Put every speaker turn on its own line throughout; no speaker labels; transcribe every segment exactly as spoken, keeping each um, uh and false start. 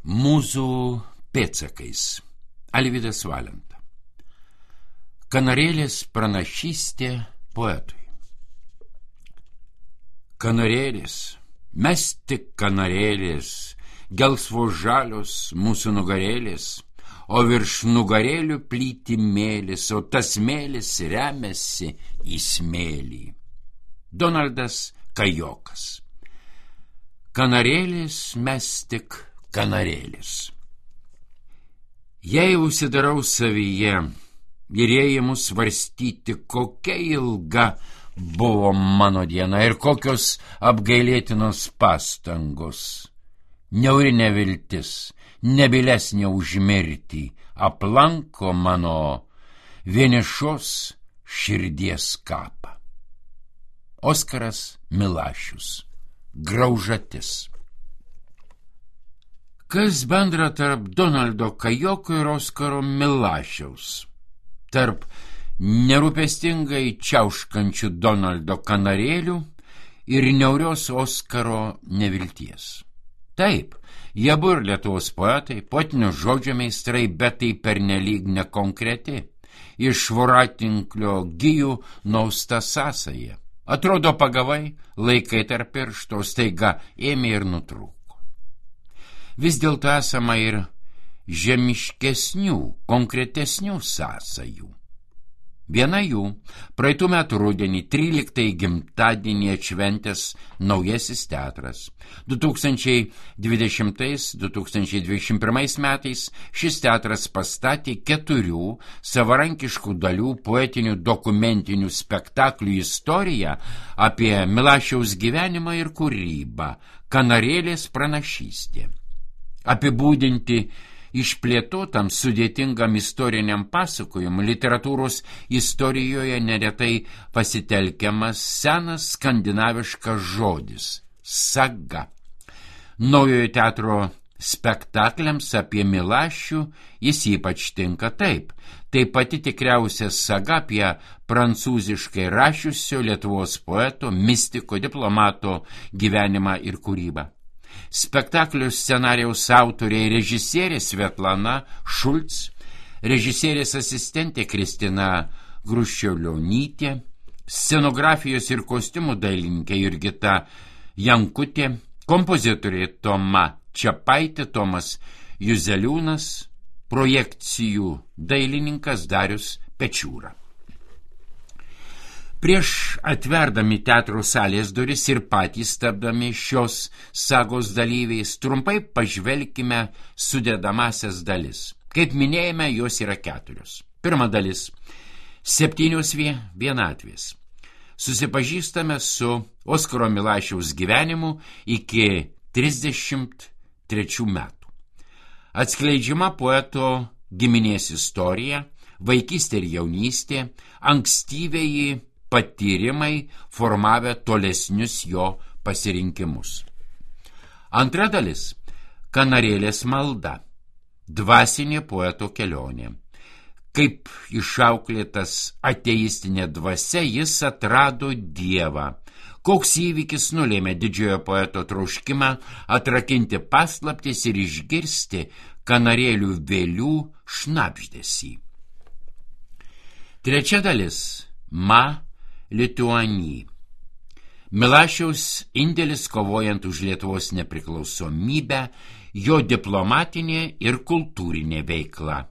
Mūzų pėdsakais. Alvydas Valenta. Kanarėlės pranašystė poetui. Kanarėlės, mes tik kanarėlės, gelsvos žalios mūsų nugarėlės, o virš nugarėlių plyti mėlis, o tas mėlis remiasi į smėlį. Donaldas Kajokas. Kanarėlės, mes tik kanarėlis. Jei užsidarau savyje ir ėjimu svarstyti, kokia ilga buvo mano diena ir kokios apgailėtinos pastangos, niauri neviltis, nebilesnė už mirtį, aplanko mano vienišos širdies kapą. Oskaras Milašius. Graužatis. Kas bendra tarp Donaldo Kajoko ir Oskaro Milašiaus? Tarp nerūpestingai čiauškančių Donaldo kanarėlių ir niaurios Oskaro nevilties. Taip, jie abu ir Lietuvos poetai, poetinio žodžio meistrai, bet tai pernelyg nekonkreti. Iš voratinklio gijų nausta sąsaja. Atrodo pagavai, laikai tarp piršto, staiga ėmė ir nutrūko. Vis dėlto esama ir žemiškesnių, konkretesnių sąsajų. Viena jų praeitų metų rudenį tryliktąjį gimtadienį atšventęs Naujasis teatras. du tūkstančiai dvidešimtais - du tūkstančiai dvidešimt pirmais metais šis teatras pastatė keturių savarankiškų dalių poetinių dokumentinių spektaklių istoriją apie Milašiaus gyvenimą ir kūrybą Kanarėlės pranašystė. Apibūdinti išplėtotam sudėtingam istoriniam pasakojimui literatūros istorijoje neretai pasitelkiamas senas skandinaviškas žodis – saga. Naujojo teatro spektakliams apie Milašių jis ypač tinka taip. Tai pati tikriausia saga apie prancūziškai rašiusio Lietuvos poeto, mistiko, diplomato gyvenimą ir kūrybą. Spektaklio scenarijaus autorė ir režisierė Svetlana Šulc, režisierės asistentė Kristina Gruščiolionytė, scenografijos ir kostiumų dailininkė Jurgita Jankutė, kompozitorė Toma Čepaitė, Tomas Juzeliūnas, projekcijų dailininkas Darius Pečiūra. Prieš atverdami teatro salės duris ir patys tapdami šios sagos dalyviais, trumpai pažvelkime sudedamasias dalis. Kaip minėjome, jos yra keturios. Pirma dalis – septynios vienatvės. Susipažįstame su Oskaro Milašiaus gyvenimu iki trisdešimt trečių metų. Atskleidžiama poeto giminės istorija, vaikystė ir jaunystė, ankstyvieji patyrimai formavę tolesnius jo pasirinkimus. Antra dalis – Kanarėlės malda, dvasinė poeto kelionė. Kaip išauklėtas ateistinė dvasia, jis atrado Dievą. Koks įvykis nulėmė didžiojo poeto troškimą atrakinti paslaptis ir išgirsti kanarėlių vėlių šnabždesį. Trečia dalis – Ma Lituani. Milašiaus indėlis kovojant už Lietuvos nepriklausomybę, jo diplomatinė ir kultūrinė veikla.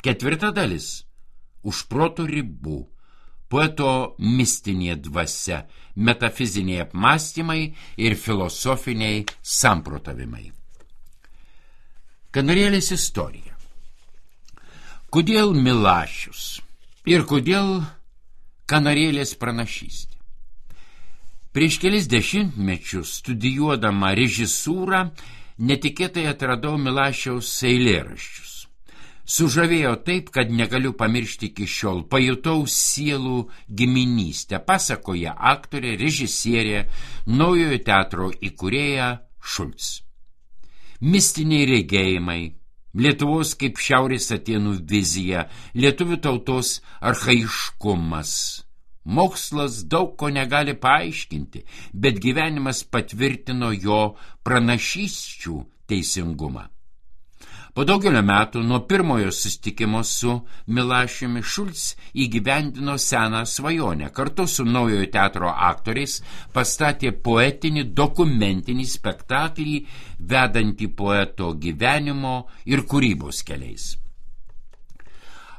Ketvirta dalis – už proto ribų, poeto mistinė dvasia, metafiziniai apmąstymai ir filosofiniai samprotavimai. Kanarėlės istorija. Kodėl Milašius ir kodėl Kanarėlės pranašystė? Prieš kelis dešimtmečius studijuodama režisūrą netikėtai atradau Milašiaus eilėraščius. Sužavėjo taip, kad negaliu pamiršti iki šiol. Pajutau sielų giminystę, pasakoja aktorė, režisierė, Naujojo teatro įkūrėja Šulc. Mistiniai regėjimai, Lietuvos kaip Šiaurės Atėnų vizija, lietuvių tautos archaiškumas. Mokslas daug ko negali paaiškinti, bet gyvenimas patvirtino jo pranašysčių teisingumą. Po daugelio metų nuo pirmojo susitikimo su Milašiumi Šulc įgyvendino seną svajonę. Kartu su Naujojo teatro aktoriais pastatė poetinį dokumentinį spektaklį, vedantį poeto gyvenimo ir kūrybos keliais.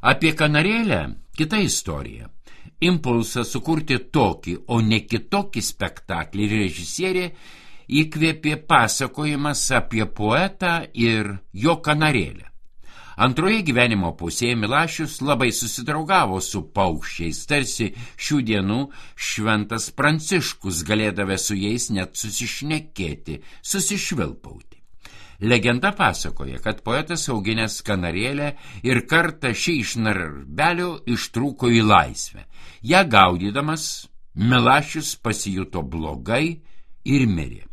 Apie Kanarėlę kita istorija. Impulsą sukurti tokį, o ne kitokį spektaklį režisierė įkvėpė pasakojimas apie poetą ir jo kanarėlę. Antroje gyvenimo pusėje Milašius labai susidraugavo su paukščiais, tarsi šių dienų šventas Pranciškus, galėdavę su jais net susišnekėti, susišvilpauti. Legenda pasakoja, kad poetas auginęs kanarėlę ir kartą šį iš narvelio ištrūko į laisvę. Ja gaudydamas, Milašius pasijuto blogai ir mirė.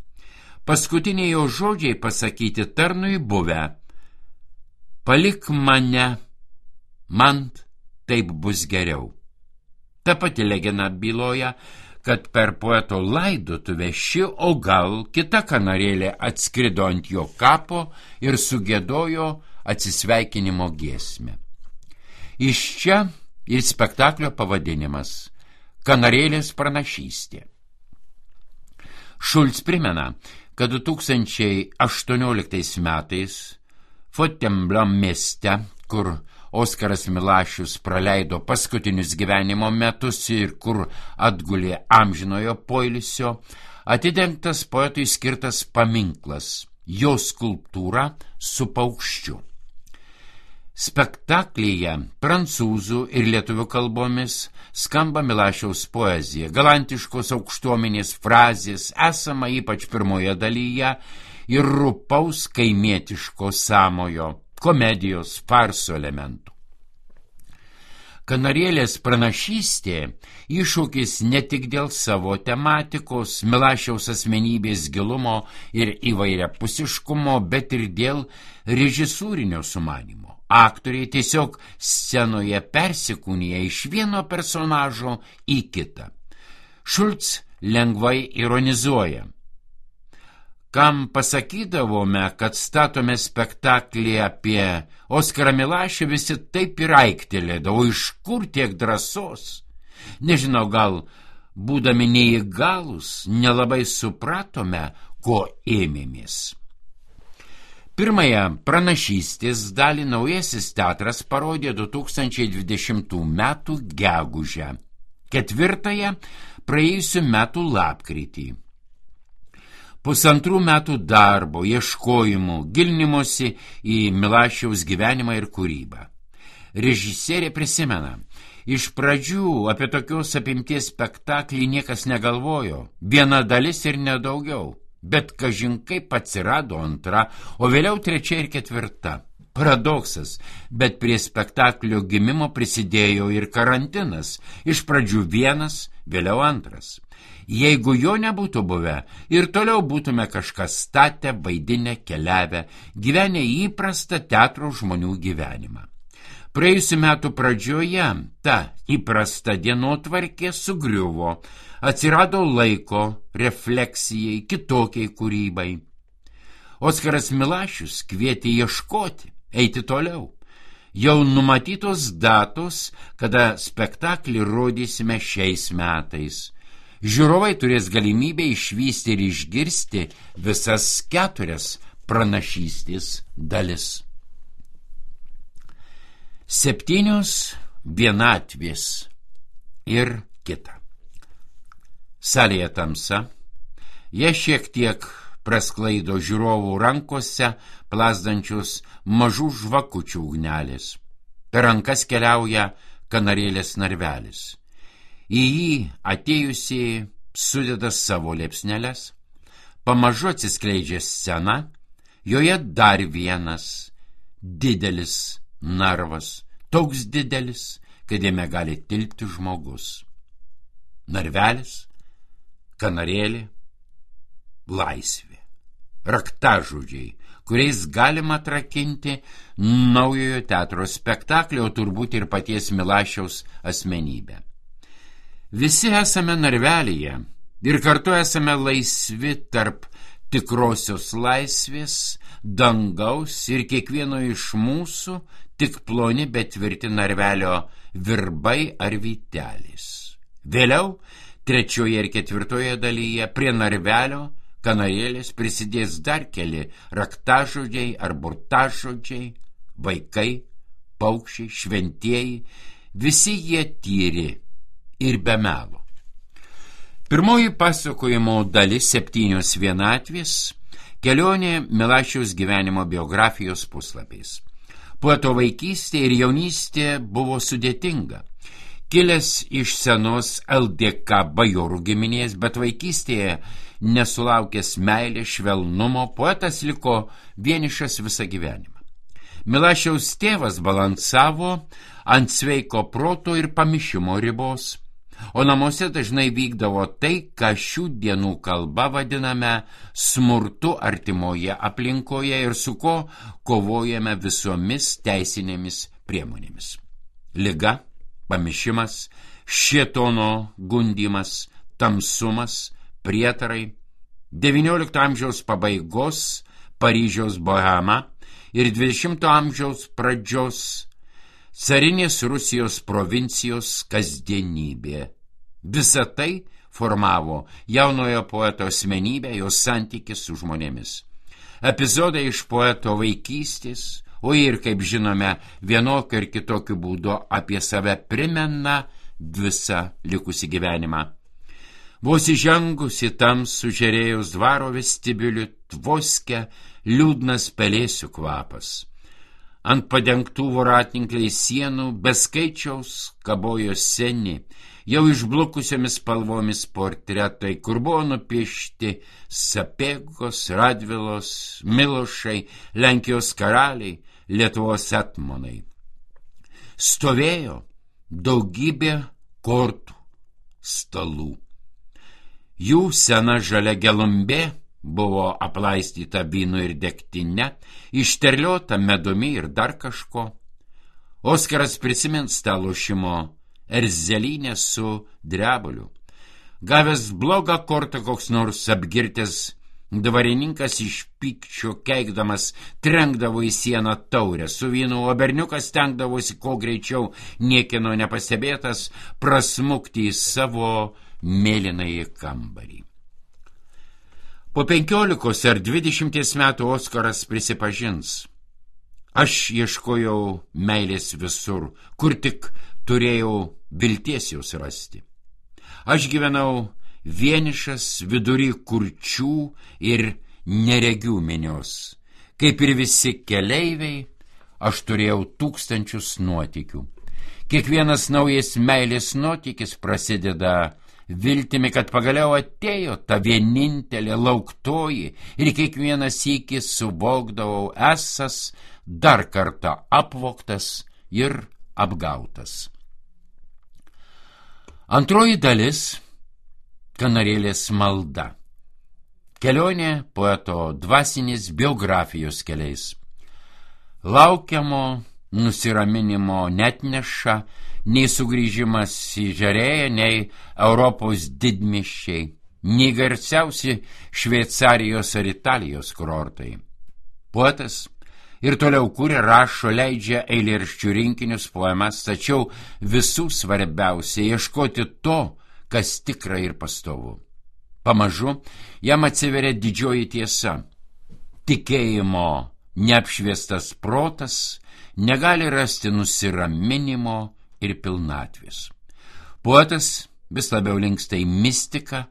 Paskutiniai jo žodžiai pasakyti tarnui buvę: palik mane, man taip bus geriau. Ta pati legenda byloja, kad per poeto laidotuvę ši, o gal kita kanarėlė atskrido ant jo kapo ir sugiedojo atsisveikinimo giesmę. Iš čia ir spektaklio pavadinimas – Kanarėlės pranašystė. Šulc primena, kad du tūkstančiai aštuonioliktais metais Fontainebleau mieste, kur Oskaras Milašius praleido paskutinius gyvenimo metus ir kur atgulė amžinojo poilsio, atidengtas poetui skirtas paminklas, jo skulptūra su paukščiu. Spektaklyje prancūzų ir lietuvių kalbomis skamba Milašiaus poezija, galantiškos aukštuomenės frazės, esama ypač pirmoje dalyje, ir rupaus kaimietiško sąmojo, komedijos, farso elementų. Kanarėlės pranašystė iššūkis ne tik dėl savo tematikos, Milašiaus asmenybės gilumo ir įvairiapusiškumo, bet ir dėl režisūrinio sumanymo. Aktoriai tiesiog scenoje persikūnija iš vieno personažo į kitą. Šulc lengvai ironizuoja: kam pasakydavome, kad statome spektaklį apie Oskarą Milašių, visi taip ir aiktelėdavo, iš kur tiek drąsos? Nežinau, gal būdami neįgalūs, nelabai supratome, ko ėmėmės. Pirmąją pranašystės dalį Naujasis teatras parodė du tūkstančiai dvidešimtų metų gegužę, ketvirtąją praėjusių metų lapkritį. Pusantrų metų darbo, ieškojimų, gilinimosi į Milašiaus gyvenimą ir kūrybą. Režisierė prisimena, iš pradžių apie tokios apimties spektaklį niekas negalvojo, viena dalis ir nedaugiau, bet kažin kaip atsirado antra, o vėliau trečia ir ketvirta. Paradoksas, bet prie spektaklio gimimo prisidėjo ir karantinas, iš pradžių vienas, vėliau antras. Jeigu jo nebūtų buvę, ir toliau būtume kažką statę, vaidinę, keliavę, gyvenę įprastą teatro žmonių gyvenimą. Praėjusių metų pradžioje ta įprasta dienotvarkė sugriuvo, atsirado laiko refleksijai, kitokiai kūrybai. Oskaras Milašius kvietė ieškoti, eiti toliau. Jau numatytos datos, kada spektaklį rodysime šiais metais. Žiūrovai turės galimybę išvysti ir išgirsti visas keturias pranašystės dalis. Septynios vienatvės ir kita. Salėje tamsa, jie šiek tiek prasklaido žiūrovų rankose plazdančius mažų žvakučių ugnelės. Per rankas keliauja kanarėlės narvelis. Į jį atėjusiai sudeda savo liepsneles, pamažu atsiskleidžia scena, joje dar vienas didelis narvas, toks didelis, kad jame gali tilpti žmogus. Narvelis, kanarėlė, laisvė, raktažodžiai, kuriais galima atrakinti Naujojo teatro spektaklį, o turbūt ir paties Milašiaus asmenybę. Visi esame narvelyje ir kartu esame laisvi tarp tikrosios laisvės, dangaus ir kiekvieno iš mūsų tik ploni bet tvirti narvelio virbai ar vytelis. Vėliau, trečioje ir ketvirtoje dalyje, prie narvelio kanarėlės prisidės dar keli raktažodžiai ar burtažodžiai, vaikai, paukščiai, šventieji, visi jie tyri ir be melo. Pirmoji pasakojimo dalis septynios vienatvės, kelionė Milašiaus gyvenimo biografijos puslapiais. Poeto vaikystė ir jaunystė buvo sudėtinga. Kilęs iš senos L D K bajorų giminės, bet vaikystėje nesulaukęs meilės, švelnumo, poetas liko vienišas visą gyvenimą. Milašiaus tėvas balansavo ant sveiko proto ir pamišimo ribos, o namuose dažnai vykdavo tai, ką šių dienų kalba vadiname smurtu artimoje aplinkoje ir su ko kovojame visomis teisinėmis priemonėmis. Liga, pamišimas, šėtono gundymas, tamsumas, prietarai, devyniolikto amžiaus pabaigos Paryžiaus bohema ir dvidešimto amžiaus pradžios carinės Rusijos provincijos kasdienybė. Visa tai formavo jaunojo poeto asmenybę, jo santykis su žmonėmis. Epizodai iš poeto vaikystės, o ir, kaip žinome, vienokiu ir kitokiu būdu apie save primena visą likusį gyvenimą. Vos įžengus į tamsų žerėjus dvaro vestibiulių tvoske liūdnas pelėsių kvapas. Ant padengtų voratinkliai sienų beskaičiaus kabojo seni, jau išblukusiomis spalvomis portretai, kur buvo nupiešti Sapiegos, Radvilos, Milošai, Lenkijos karaliai, Lietuvos etmonai. Stovėjo daugybė kortų stalų. Jų sena žalia gelumbė buvo aplaistyta vynu ir degtine, išterliota medumi ir dar kažko. Oskaras prisimins tą lošimo erzelinę su drebuliu. Gavęs blogą kortą koks nors apgirtęs dvarininkas iš pykčio keikdamas trenkdavo į sieną taurę su vynu, o berniukas stengdavosi kuo greičiau niekieno nepastebėtas prasmukti į savo mėlynąjį kambarį. Po penkiolikos ar dvidešimties metų Oskaras prisipažins: aš ieškojau meilės visur, kur tik turėjau vilties jos rasti. Aš gyvenau vienišas vidury kurčių ir neregių minios. Kaip ir visi keleiviai, aš turėjau tūkstančius nuotykių. Kiekvienas naujas meilės nuotykis prasideda viltimi, kad pagaliau atėjo ta vienintelė lauktoji, ir kiekvieną sykį suvokdavau esas dar kartą apvogtas ir apgautas. Antroji dalis – kanarėlės malda. Kelionė poeto dvasinės biografijos keliais. Laukiamo nusiraminimo netneša nei sugrįžimas į Žerėją, nei Europos didmiesčiai, nei garsiausi Šveicarijos ar Italijos kurortai. Poetas ir toliau kuria, rašo, leidžia eilėraščių rinkinius, poemas, tačiau visų svarbiausia ieškoti to, kas tikra ir pastovu. Pamažu jam atsiveria didžioji tiesa. Tikėjimo neapšviestas protas negali rasti nusiraminimo ir pilnatvės. Poetas vis labiau linksta į mistiką,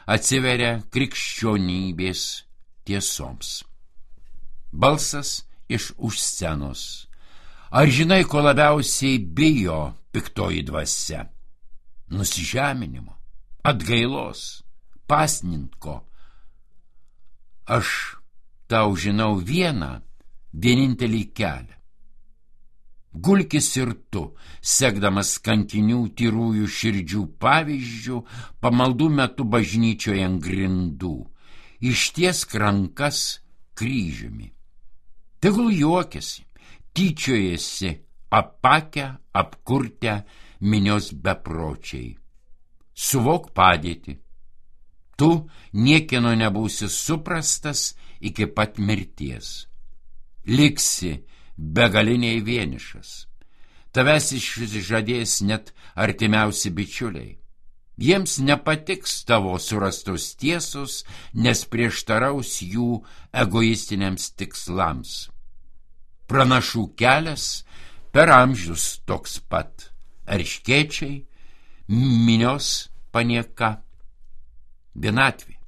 atsiveria krikščionybės tiesoms. Balsas iš už scenos. Ar žinai, ko labiausiai bijo piktoji dvasia? Nusižeminimo, atgailos, pasninko. Aš tau žinau vieną, vienintelį kelią. Gulkis ir tu, sekdamas kankinių tyrųjų širdžių pavyzdžių, pamaldų metu bažnyčioje ant grindų, ištiesk rankas kryžiumi. Tegul juokiasi, tyčiojasi, apakę, apkurtę minios bepročiai. Suvok padėtį. tu niekieno nebūsi suprastas iki pat mirties. Liksi begaliniai vienišas. Tavęs išžadės net artimiausi bičiuliai. Jiems nepatiks tavo surastos tiesos, nes prieštaraus jų egoistiniams tikslams. Pranašų kelias per amžius toks pat. Erškėčiai, minios panieka, vienatvė.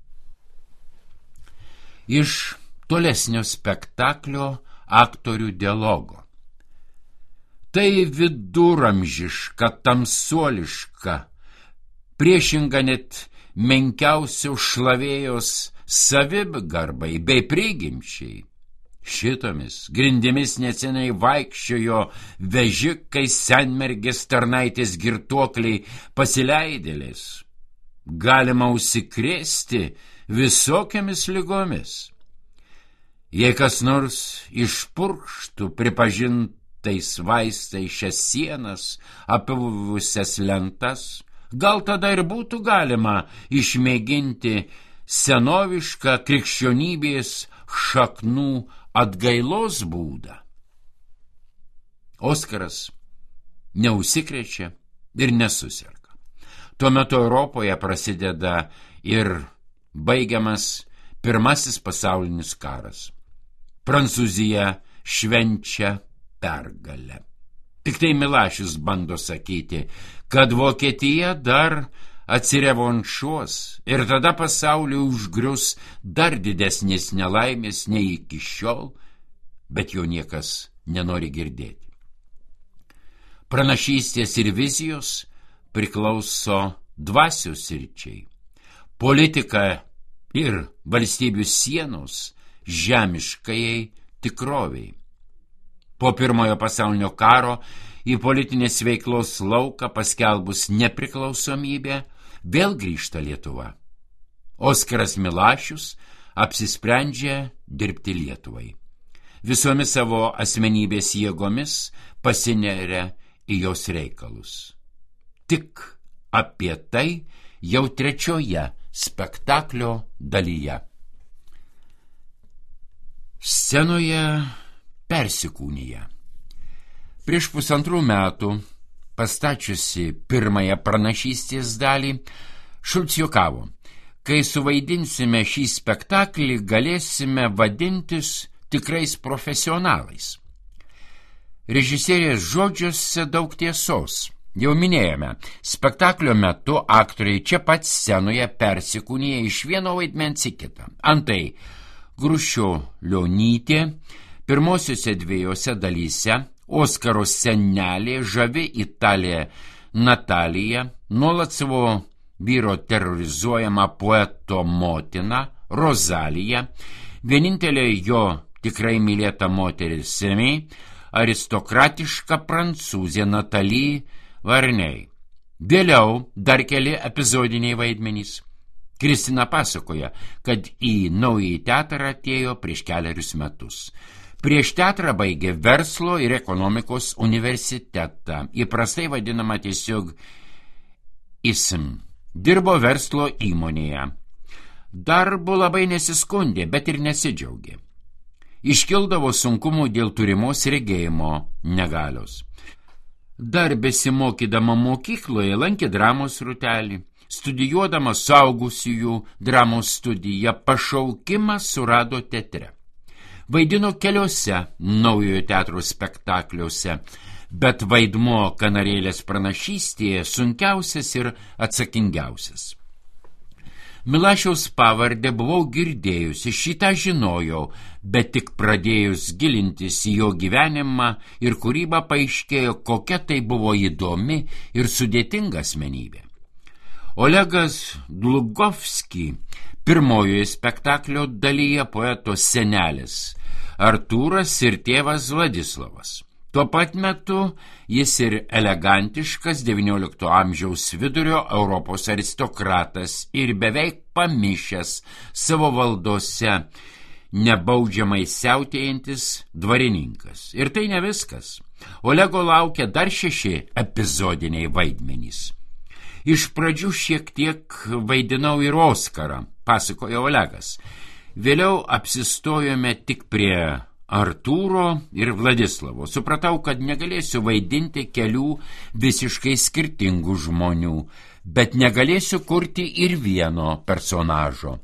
Iš tolesnio spektaklio aktorių dialogo. Tai viduramžiška, tamsuoliška, priešinga net menkiausio šlavėjos savigarbai bei prigimčiai. Šitomis grindimis neseniai vaikščiojo vežikai, senmergės, tarnaitės, girtuokliai, pasileidėlės. Galima užsikrėsti visokiamis ligomis. Jei kas nors išpurkštų pripažintais vaistais šias sienas, apivusias lentas, gal tada ir būtų galima išmėginti senovišką krikščionybės šaknų atgailos būdą. Oskaras neužsikrečia ir nesuserga. Tuo metu Europoje prasideda ir baigiamas pirmasis pasaulinis karas. Prancūzija švenčia pergalę. Tik tai Milašius bando sakyti, kad Vokietija dar atsirevanšuos ir tada pasaulį užgrius dar didesnės nelaimės nei iki šiol, bet jo niekas nenori girdėti. Pranašystės ir vizijos priklauso dvasios sričiai. Politika ir valstybių sienos žemiškajai tikroviai. Po pirmojo pasaulinio karo į politinės veiklos lauką paskelbus nepriklausomybę vėl grįžta Lietuva. Oskaras Milašius apsisprendžia dirbti Lietuvai. Visomis savo asmenybės jėgomis pasineria į jos reikalus. Tik apie tai jau trečioje spektaklio dalyje. Scenoje persikūnija. Prieš pusantrų metų, pastačiusi pirmąją pranašystės dalį, Šulc juokavo, kai suvaidinsime šį spektaklį, galėsime vadintis tikrais profesionalais. Režisierės žodžiuose daug tiesos. Jau minėjome, spektaklio metu aktoriai čia pat scenoje persikūnija iš vieno vaidmens į kitą. Antai, Grušio Lionytė pirmosiuose dviejose dalyse, Oskaro senelė, žavi Italė Natalija, nuolat savo vyro terrorizuojama poeto motina Rozalija, vienintelė jo tikrai mylėta moteris Semė, aristokratiška prancūzė Natalie Varnei. Vėliau dar keli epizodiniai vaidmenys. Kristina pasakoja, kad į naująjį teatrą atėjo prieš keliarius metus. Prieš teatrą baigė verslo ir ekonomikos universitetą, įprastai vadinama tiesiog I S M. Dirbo verslo įmonėje. Darbu labai nesiskundė, bet ir nesidžiaugė. Iškildavo sunkumų dėl turimos regėjimo negalios. Dar besimokydama mokykloje lankė dramos rūtelį, studijuodama suaugusiųjų dramos studiją, pašaukimą surado teatre. Vaidino keliose naujojo teatro spektakliuose, bet vaidmuo Kanarėlės pranašystėje sunkiausias ir atsakingiausias. Milašiaus pavardę buvau girdėjusi, šitą žinojau, bet tik pradėjus gilintis į jo gyvenimą ir kūrybą paaiškėjo, kokia tai buvo įdomi ir sudėtinga asmenybė. Olegas Dlugovski pirmojoje spektaklio dalyje poeto senelis Artūras ir tėvas Vladislavas. Tuo pat metu jis ir elegantiškas devyniolikto amžiaus vidurio Europos aristokratas ir beveik pamišęs savo valdose nebaudžiamai siautėjantis dvarininkas. Ir tai ne viskas. Olego laukia dar šeši epizodiniai vaidmenys. Iš pradžių šiek tiek vaidinau ir Oskarą, pasakojo Olegas. Vėliau apsistojome tik prie Artūro ir Vladislavo. Supratau, kad negalėsiu vaidinti kelių visiškai skirtingų žmonių, bet negalėsiu kurti ir vieno personažo.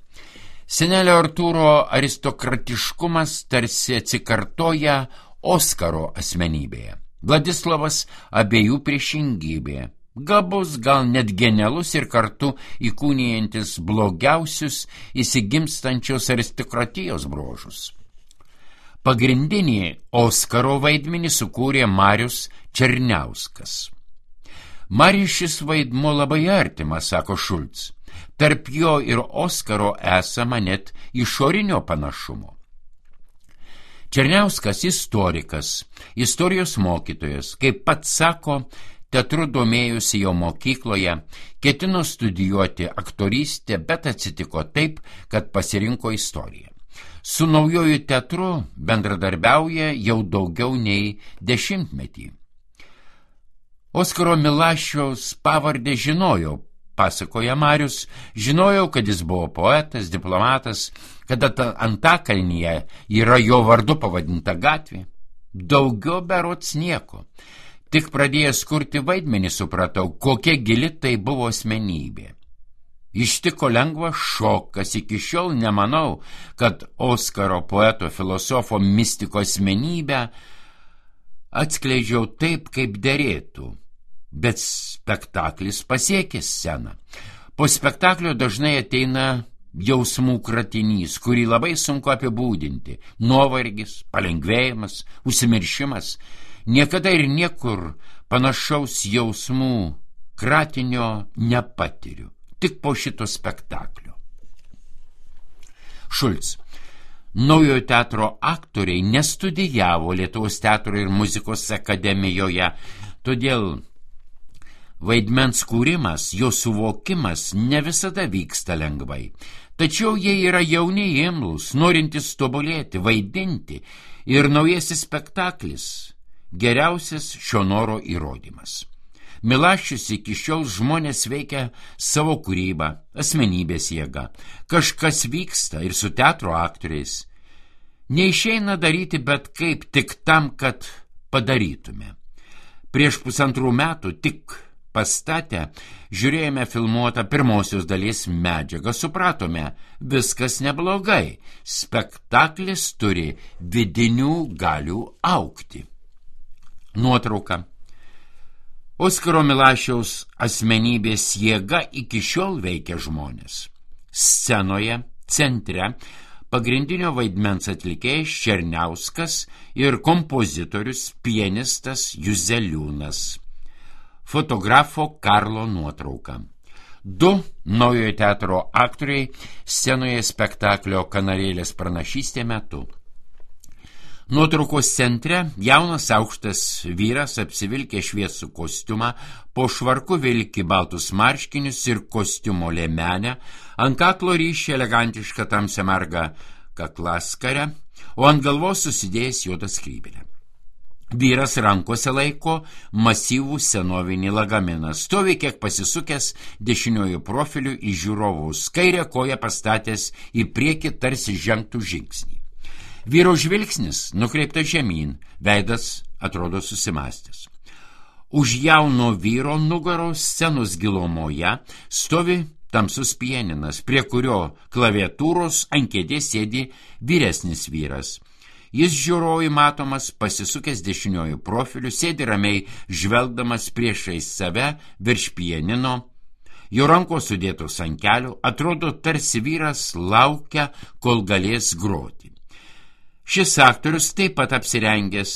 Senelio Artūro aristokratiškumas tarsi atsikartoja Oskaro asmenybėje. Vladislavas abiejų priešingybė. Gabus, gal net genialus ir kartu įkūnijantis blogiausius įsigimstančios aristokratijos bruožus. Pagrindinį Oskaro vaidmenį sukūrė Marius Černiauskas. Marius šis vaidmuo labai artimas, sako Šulc. Tarp jo ir Oskaro esama net išorinio panašumo. Černiauskas istorikas, istorijos mokytojas, kaip pats sako, teatru domėjusi jo mokykloje, ketino studijuoti aktorystę, bet atsitiko taip, kad pasirinko istoriją. Su naujoju teatru bendradarbiauja jau daugiau nei dešimtmetį. Oskaro Milašiaus pavardę žinojau, pasakoja Marius, žinojau, kad jis buvo poetas, diplomatas, kad Antakalnyje yra jo vardu pavadinta gatvė. Daugiau berods nieko. Tik pradėjęs kurti vaidmenį supratau, kokia gili tai buvo asmenybė. Ištiko lengvas šokas, iki šiol nemanau, kad Oskaro poeto, filosofo, mistiko asmenybę atskleidžiau taip, kaip derėtų, bet spektaklis pasiekė sceną. Po spektaklio dažnai ateina jausmų kratinys, kurį labai sunku apibūdinti. Nuovargis, palengvėjimas, užsimiršimas. Niekada ir niekur panašaus jausmų kratinio nepatiriu. Tik po šito spektaklio. Šulc. Naujojo teatro aktoriai nestudijavo Lietuvos teatro ir muzikos akademijoje, todėl vaidmens kūrimas, jo suvokimas ne visada vyksta lengvai. Tačiau jie yra jauni imlūs, norintys tobulėti, vaidinti, ir naujasis spektaklis geriausias šio noro įrodymas. Milašius iki šiol žmonės veikia savo kūrybą, asmenybės jėga. Kažkas vyksta ir su teatro aktoriais. Neišeina daryti bet kaip tik tam, kad padarytume. Prieš pusantrų metų tik pastatę žiūrėjome filmuotą pirmosios dalies medžiagą, supratome, viskas neblogai. Spektaklis turi vidinių galių augti. Nuotrauka. Oskaro Milašiaus asmenybės jėga iki šiol veikia žmonės. Scenoje, centre, pagrindinio vaidmens atlikėjas Černiauskas ir kompozitorius, pianistas Juzeliūnas. Fotografo Karlo nuotrauka. Du naujojo teatro aktoriai scenoje spektaklio Kanarėlės pranašystė metu. Nuotraukos centre jaunas aukštas vyras apsivilkė šviesų kostiumą, po švarku vilki baltus marškinius ir kostiumo liemenę, ant kaklo ryši elegantišką tamsią margą kaklaskarę, o ant galvos susidėjęs juodą skrybėlę. Vyras rankose laiko masyvų senovinį lagaminą, stovi kiek pasisukęs dešiniuoju profiliu į žiūrovus, kairę koją pastatęs į priekį tarsi žengtų žingsnį. Vyro žvilgsnis nukreiptas žemyn, veidas atrodo susimastęs. Už jauno vyro nugaros scenos gilumoje stovi tamsus pianinas, prie kurio klaviatūros ant kėdės sėdi vyresnis vyras. Jis žiūrovui matomas pasisukęs dešiniuoju profiliu, sėdi ramiai žvelgdamas priešais save virš pianino. Jo rankos sudėtos ant kelių, atrodo tarsi vyras laukia, kol galės groti. Šis aktorius taip pat apsirengęs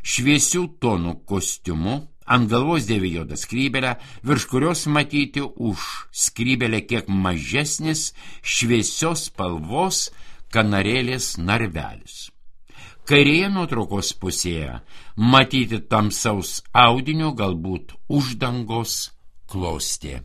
šviesių tonų kostiumu, ant galvos dėvi juodą skrybėlę, virš kurios matyti už skrybėlę kiek mažesnis šviesios spalvos kanarėlės narvelis. Kairėje nuotraukos pusėje matyti tamsaus audinio, galbūt uždangos klostė.